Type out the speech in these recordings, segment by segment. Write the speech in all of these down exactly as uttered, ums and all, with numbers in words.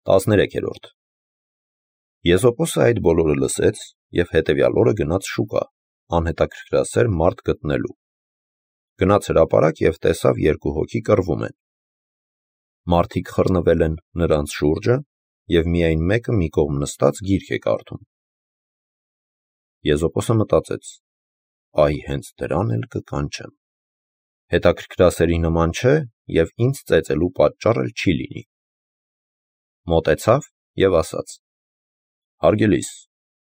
տասներեքերորդ Եզոպոսը այդ բոլորը լսեց և հետևյալ օրը գնաց շուկա, անհետաքրքրասեր մարդ գտնելու։ Գնաց հրապարակ և տեսավ երկու հոգի կռվում են։ Մարդիկ խռնվել են նրանց շուրջը, և միայն մեկը մի կողմ նստած գիրք է կարդում։ Եզոպոսը մտածեց. «Այ հենց դրան էլ կկանչեմ։ Հետաքրքրասերի նման չէ և ինձ ծեծելու պատճառ էլ չի լինի»։ Մոտեցավ և ասաց. «Հարգելիս,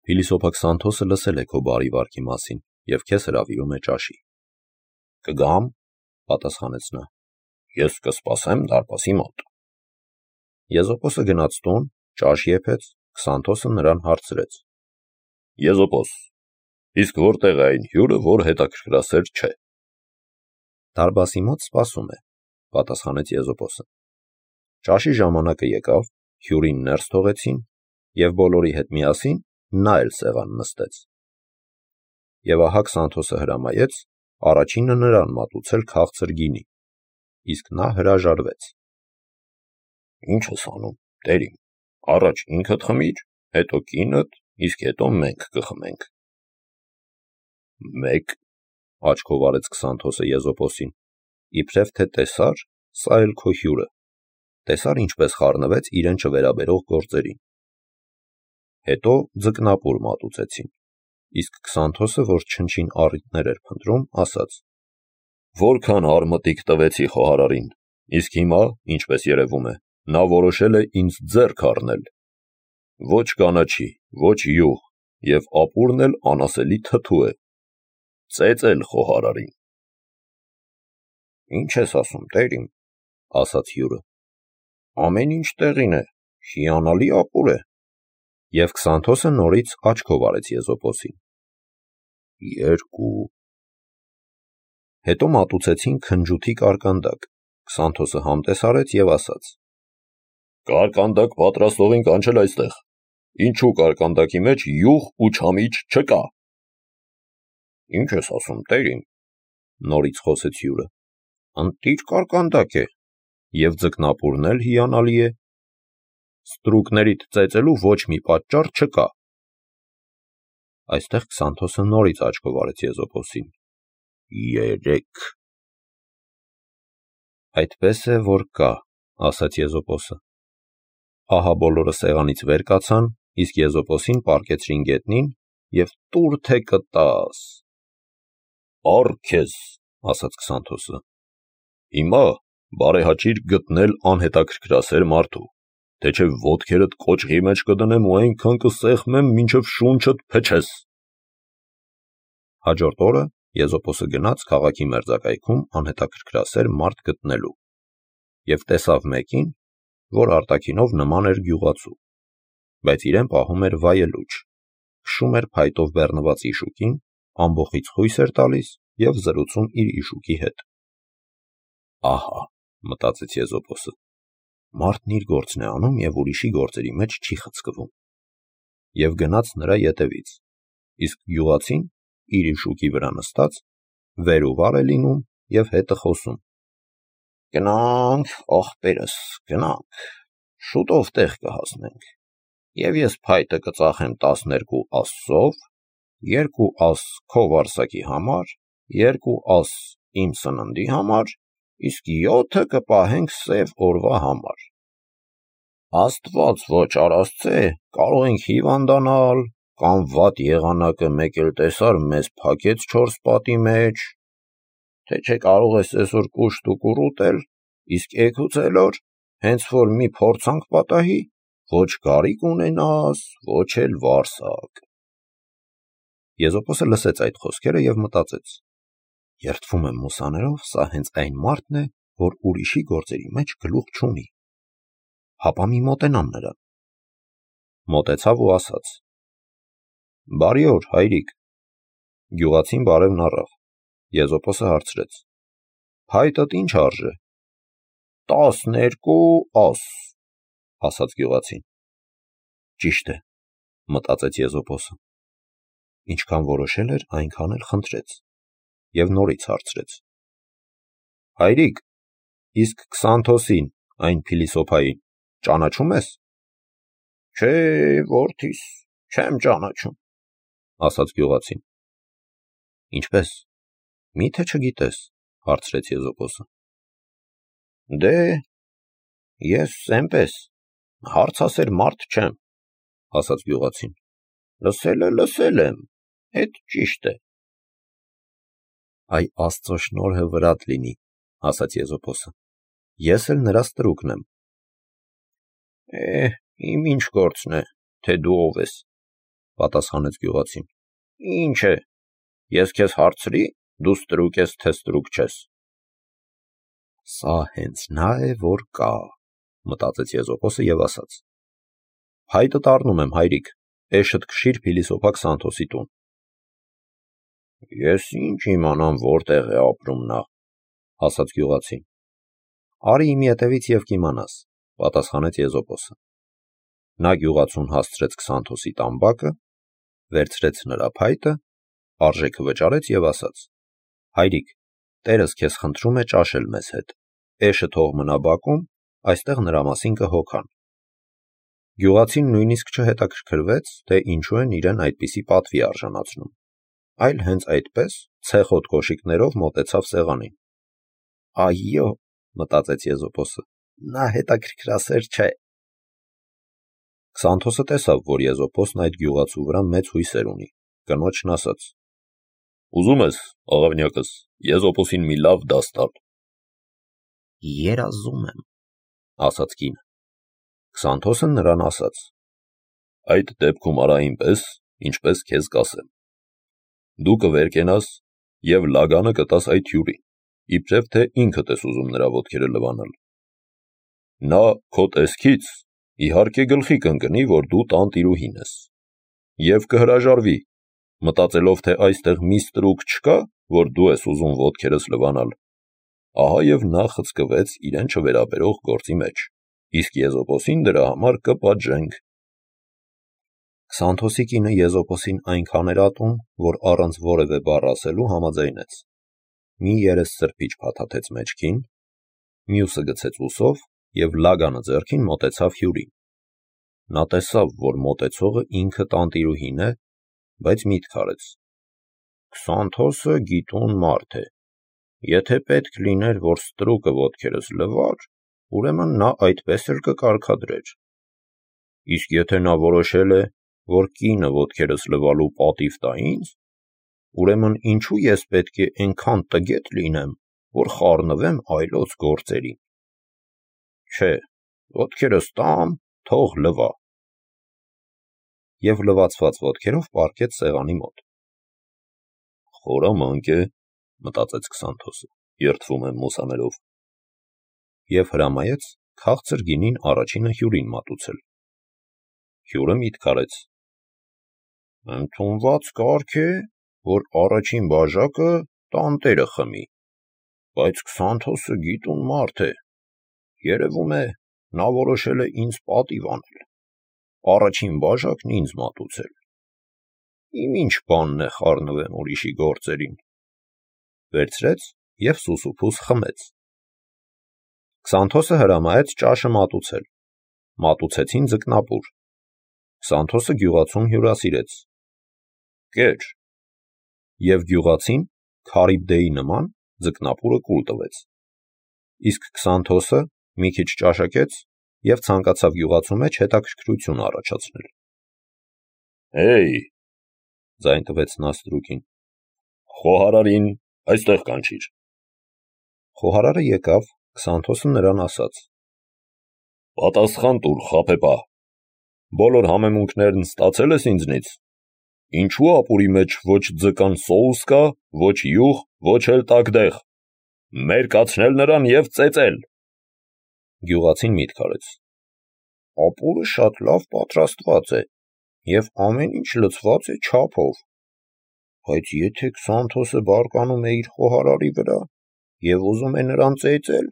փիլիսոփա Քսանթոսը լսել է քո բարի վարքի մասին և քեզ հրավիրում է ճաշի»։ «Կգամ», պատասխանեց նա, «ես կսպասեմ դարպասի մոտ»։ Եզոպոսը գնաց տուն, ճաշ եփեց, Քսանթոսը նրան հարցրեց. «Եզոպոս, իսկ որտե՞ղ է այն հյուրը, որ հետաքրքրասեր չէ»։ «Դարպասի մոտ սպասում է», պատասխանեց Եզոպոսը։ Ճաշի ժամանակը եկավ, հյուրին ներս թողեցին, և բոլորի հետ միասին նա էլ սեղան նստեց։ Եվ ահա Քսանթոսը հրամայեց առաջինը նրան մատուցել քաղցր գինի, իսկ նա հրաժարվեց։ «Ի՞նչ ես անում, տեր իմ, առաջ ինքդ խմիր, հետո կինդ, իսկ հետո մենք կխմենք»։ «Մեկ», աչքով արեց Քսանթոսը Եզոպոսին, իբրև թե տեսար, սա էլ քո հյուրը, տեսար ինչպես խառնվեց իրեն չվերաբերող գործերին։ Հետո ձկնապուր մատուցեցին, իսկ Քսանթոսը, որ չնչին առիթներ էր փնտրում, ասաց. «Որքան արմտիկ տվեցի խոհարարին, իսկ հիմա, ինչպես երևում է, նա որոշել է ինձ ձեռք առնել։ Ոչ կանաչի, ոչ յուղ, և ապուրն էլ անասելի թթու է։ Ծեծել խոհարարին»։ «Ի՞նչ ես ասում, տեր իմ», ասաց հյուրը, «ամեն ինչ տեղին է, հիանալի ապուր է»։ Եվ Քսանթոսը նորից աչքով արեց Եզոպոսին. «Երկու»։ Հետո մատուցեցին քնջութի կարկանդակ, Քսանթոսը համտես արեց և ասաց. «Կարկանդակ պատրաստողին կանչել այստեղ, ինչու կարկանդակի մեջ յուղ ու չամիչ չկա»։ «Ի՞նչ ես ասում, տեր իմ», նորից խոսեց հյուրը, «ընտիր կարկանդակ է, և ձկնապուրն էլ հիանալի է։ Ստրուկներիդ ծեծելու ոչ մի պատճառ չկա»։ Այստեղ Քսանթոսը նորից աչքով արեց Եզոպոսին. «Երեք»։ «Այդպես է, որ կա», ասաց Եզոպոսը։ Ահա բոլորը սեղանից վեր կացան, իսկ Եզոպոսին պառկեցրին գետնին և տուր թե կտաս։ «Առ քեզ», ասաց Քսանթոսը, «հիմա բարեհաճիր գտնել անհետաքրքրասեր մարդու, թե չէ ոտքերդ կոճղի մեջ կդնեմ ու այնքան կսեղմեմ, մինչև շունչդ փչես»։ Հաջորդ օրը Եզոպոսը գնաց քաղաքի մերձակայքում անհետաքրքրասեր մարդ գտնելու և տեսավ մեկին, որ արտաքինով նման էր գյուղացու, բայց իրեն պահում էր վայելուչ, քշում էր փայտով բեռնված իշուկին, ամբոխից խույս էր տալիս և զրուցում իր իշուկի հետ։ «Ահա», մտածեց Եզոպոսը, մարդն իր գործն է անում և ուրիշի գործերի մեջ չի խցկվում։ Եվ գնաց նրա ետևից, իսկ գյուղացին, իր իշուկի վրա նստած, վեր ու վար է լինում և հետը խոսում. «Գնա՛նք, ախպերս, գնանք, շուտով տեղ կհասնենք, և ես փայտը կծախեմ տասներկու ասսով, երկու աս քո վարսակի համար, երկու աս իմ սննդի համար, իսկ յոթը կպահենք սև օրվա համար։ Աստված ոչ արասցե, կարող ենք հիվանդանալ, կամ վատ եղանակը մեկ էլ տեսար մեզ փակեց չորս պատի մեջ, թե չէ կարող ես այսօր կուշտ ու կուռուտել, իսկ էգուց էլ օր, հենց որ մի փորձանք պատահի, ոչ կարիք ունենաս, ոչ էլ վարսակ»։ Եզոպոսը լսեց այդ խոսքերը և մտածեց. երդվում եմ մուսաներով, սա հենց այն մարդն է, որ ուրիշի գործերի մեջ գլուխ չունի։ Հապա մի մոտենամ նրան։ Մոտեցավ ու ասաց. «Բարի օր, հայրիկ»։ Գյուղացին բարևն առավ։ Եզոպոսը հարցրեց. «Փայտդ ինչ արժե»։ «Տասներկու աս», ասաց գյուղացին։ Ճիշտ է, մտածեց Եզոպոսը։ Ինչքան որոշել էր, այնքան էլ խնդրեց և նորից հարցրեց. «Հայրիկ, իսկ Քսանթոսին, այն փիլիսոփային, ճանաչո՞ւմ ես»։ Չէ, որդիս, չեմ ճանաչում, ասաց գյուղացին։ Ինչպես, մի՞թե չգիտես, հարցրեց Եզոպոսը։ Դե, ես էնպես, հարցասեր մարդ չեմ, ասաց գյուղացին։ Լսելը լսել եմ, էդ ճիշտ է։ Այ Աստծո շնորհը վրադ լինի, ասաց Եզոպոսը։ Ես էլ նրա ստրուկն եմ։ Է, իմ ինչ գործն է, թե դու ով ես, պատասխանեց գյուղացին։ Ինչ է, ես քեզ հարցրի, դու ստրուկ ես, թե ստրուկ չես։ Սա հենց նա է, որ կա, մտածեց Եզոպոսը եւ ասաց. Հայտը տառնում եմ, հայրիկ, էշդ քշիր փիլիսոփա Քսանթոսի տուն։ Ես ինչ իմանամ որտեղ է ապրում նա, ասաց գյուղացին։ Արի իմ ետևից եւ կիմանաս, պատասխանեց Եզոպոսը։ Նա գյուղացուն հասցրեց Քսանթոսի տամբակը, վերցրեց նրա փայտը, արժեքը վճարեց եւ ասաց. Հայրիկ, տերս քեզ խնդրում է ճաշել մեզ հետ, էշը թող մնա բակում, այստեղ նրա մասին կհոգան։ Գյուղացին նույնիսկ չհետաքրքրվեց, թե ինչու են իրեն այդպիսի պատվի արժանացնում, այլ հենց այդպես ցեխոտ կոշիկներով մոտեցավ սեղանին։ Այո, մտածեց Եզոպոսը, նա հետաքրքրասեր չէ։ Քսանթոսը տեսավ, որ Եզոպոսն այդ գյուղացու վրա մեծ հույսեր ունի, կնոջն ասաց. Ուզում ես, աղավնյակս, Եզոպոսին մի լավ դաս տալ։ Երազում եմ, ասաց կինը։ Քսանթոսը նրան ասաց. Այդ դեպքում արա այնպես, ինչպես քեզ կասեմ։ Դու կվերկենաս եւ լագանը կտաս այդ հյուրին, իբրև թե ինքդ ես ուզում նրա ոտքերը լվանալ։ Նա քո տեսքից իհարկե գլխի կընկնի, որ դու տանտիրուհին ես, եւ կհրաժարվի, մտածելով, թե այստեղ մի ստրուկ չկա, որ դու ես ուզում ոտքերս լվանալ։ Ահա եւ նա խցկվեց իրեն չվերաբերող գործի մեջ, իսկ Եզոպոսին դրա համար կպատժենք։ Քսանթոսի կինը Եզոպոսին այնքան էր ատում, որ առանց որևէ բառ ասելու համաձայնեց։ Մի երես սրբիչ փաթաթեց մեջքին, մյուսը գցեց ուսով եւ լագանը ձեռքին մոտեցավ հյուրին։ Նա տեսավ, որ մոտեցողը ինքը տանտիրուհին է, բայց միտք արեց. Քսանթոսը գիտուն մարդ է։ Եթե պետք լիներ, որ ստրուկը ոտքերս լվար, ուրեմն նա այդպես էլ կկարգադրեր։ Իսկ եթե նա որոշել է, որ կինը ոտքերս լվալու պատիվ տա ինձ, ուրեմն ինչու ես պետք է այնքան տգետ լինեմ, որ խառնվեմ այլոց գործերին։ Չէ, ոտքերս տամ, թող լվա։ Եվ լվացված ոտքերով պառկեց սեղանի մոտ։ Խորամանկ է, մտածեց Քսանթոսը, երդվում եմ մուսաներով։ Եվ հրամայեց քաղցր գինին առաջինը հյուրին մատուցել։ Հյուրը միտք արեց. Ընդունված կարգ է, որ առաջին բաժակը տանտերը խմի, բայց Քսանթոսը գիտուն մարդ է, երևում է, նա որոշել է ինձ պատիվ անել, առաջին բաժակն ինձ մատուցել։ Իմ ինչ բանն է խառնվեմ ուրիշի գործերին։ Վերցրեց եւ սուսուփուս խմեց։ Քսանթոսը հրամայեց ճաշը մատուցել։ Մատուցեցին ձկնապուր։ Քսանթոսը գյուղացուն հյուրասիրեց. Կեր։ Եվ գյուղացին Քարիբդեի նման ձկնապուրը կուլ տվեց։ Իսկ Քսանթոսը մի քիչ ճաշակեց եւ ցանկացավ գյուղացու մեջ հետաքրքրություն առաջացնել։ Հեյ, ձայն տվեց նա ստրուկին, խոհարարին այստեղ կանչիր։ Խոհարարը եկավ, Քսանթոսը նրան ասաց. Պատասխան տուր, խաբեբա, բոլոր համեմունքներն ստացել ես ինձնից։ Ինչու ապուրի մեջ ոչ ձկան սոուս կա, ոչ յուղ, ոչ էլ տակդեղ։ Մերկացնել նրան եւ ծեծել։ Գյուղացին միտք արեց. Ապուրը շատ լավ պատրաստված է եւ ամեն ինչ լցված է չափով։ Բայց եթե Քսանթոսը բարկանում է իր խոհարարի վրա եւ ուզում է նրան ծեծել,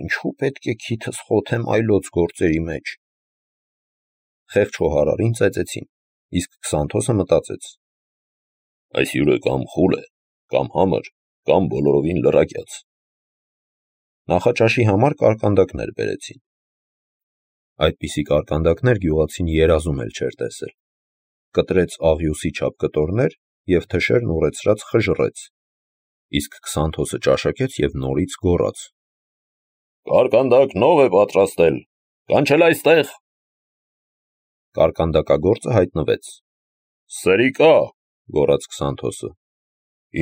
ինչու պետք է քիթս խոթեմ այլոց գործերի մեջ։ Խեղճ խոհարարին ծեծեցին, իսկ Քսանթոսը մտածեց. այս հյուրը կամ խուլ է, կամ համր, կամ բոլորովին լրակյաց։ Նախաճաշի համար կարկանդակներ բերեցին։ Այդպիսի կարկանդակներ գյուղացին երազում էլ չէր տեսել։ Կտրեց աղյուսի չափ կտորներ և թշերն ուռեցրած խժռեց, իսկ Քսանթոսը ճաշակեց և նորից գոռաց. «Կարկանդակ նով է պատրաստել, կանչել այստեղ»։ Կարկանդակագործը հայտնվեց։ «Սերիկա», գոռաց Քսանթոսը,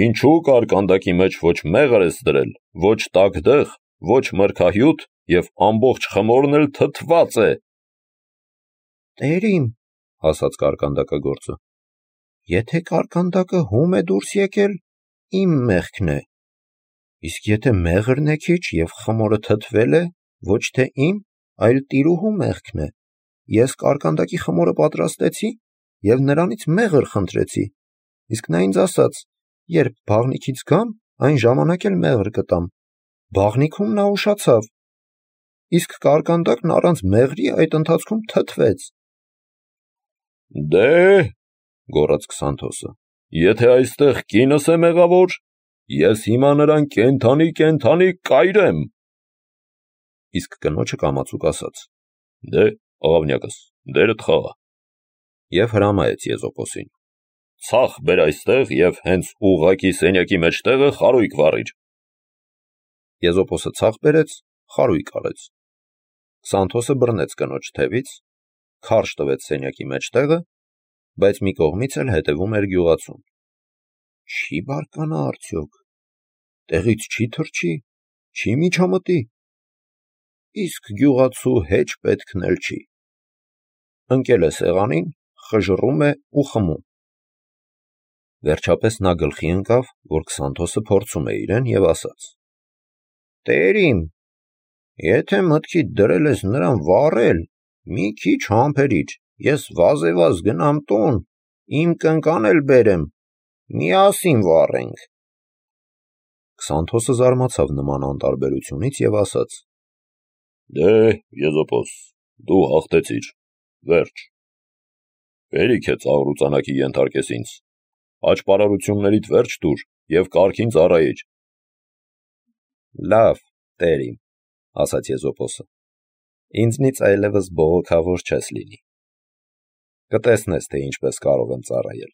ինչու կարկանդակի մեջ ոչ մեղր ես դրել, ոչ տաքդեղ, ոչ մրգահյութ և ամբողջ խմորն էլ թթված է։ «Տերիմ», ասաց կարկանդակագործը, եթե կարկանդակը հում է դուրս եկել, իմ մեղքն է, իսկ եթե մեղրն է քիչ և խմորը թթվել է, ոչ թե իմ, այլ տիրուհու մեղքն է, ես կարկանդակի խմորը պատրաստեցի և նրանից մեղր խնդրեցի, իսկ նա ինձ ասաց, երբ բաղնիքից գամ, այն ժամանակ էլ մեղր կտամ, բաղնիքում նա ուշացավ, իսկ կարկանդակն առանց մեղրի այդ ընթացքում թթվեց»։ «Դե՛հ», գոռաց Քսանթոսը, եթե այստեղ կինս է մեղավոր, ես հիմա նրան կենդանի-կենդանի կայրեմ։ Իսկ կնոջը կամացուկ ասաց. «Դե՛, աղավնյակս, դերդ խաղա» և հրամայեց Եզոպոսին. «Ցախ բեր այստեղ և հենց ուղղակի սենյակի մեջտեղը խարույկ վառիր»։ Եզոպոսը ցախ բերեց, խարույկ արեց։ Քսանթոսը բռնեց կնոջ թևից, քարշ տվեց սենյակի մեջտեղը, բայց մի կողմից էլ հետևում էր գյուղացուն։ Չի բարկանա արդյոք, տեղից չի թռչի, չի միջամտի, իսկ գյուղացու հեչ պետքն էլ չի։ Ընկել է սեղանին, խժռում է ու խմում։ Վերջապես նա գլխի ընկավ, որ Քսանթոսը փորձում է իրեն, և ասաց. «Տերիմ, եթե մտքիդ դրել ես նրան վառել, մի քիչ համբերիր, ես վազեվազ գնամ տուն, իմ կնկան էլ բերեմ, միասին վառենք»։ Քսանթոսը զարմացավ նման անտարբերությունից և ասաց. «Դե, Եզոպոս, դու հաղթեցիր, վերջ։ Հերիք է ծաղրուծանակի ենթարկես ինձ, աճպարարություններիդ վերջ տուր և կարգին ծառայիր»։ «Լավ, տերիմ», ասաց Եզոպոսը, ինձնից այլևս բողոքավոր չես լինի։ Կտեսնես, թե ինչպես կարող եմ ծառայել։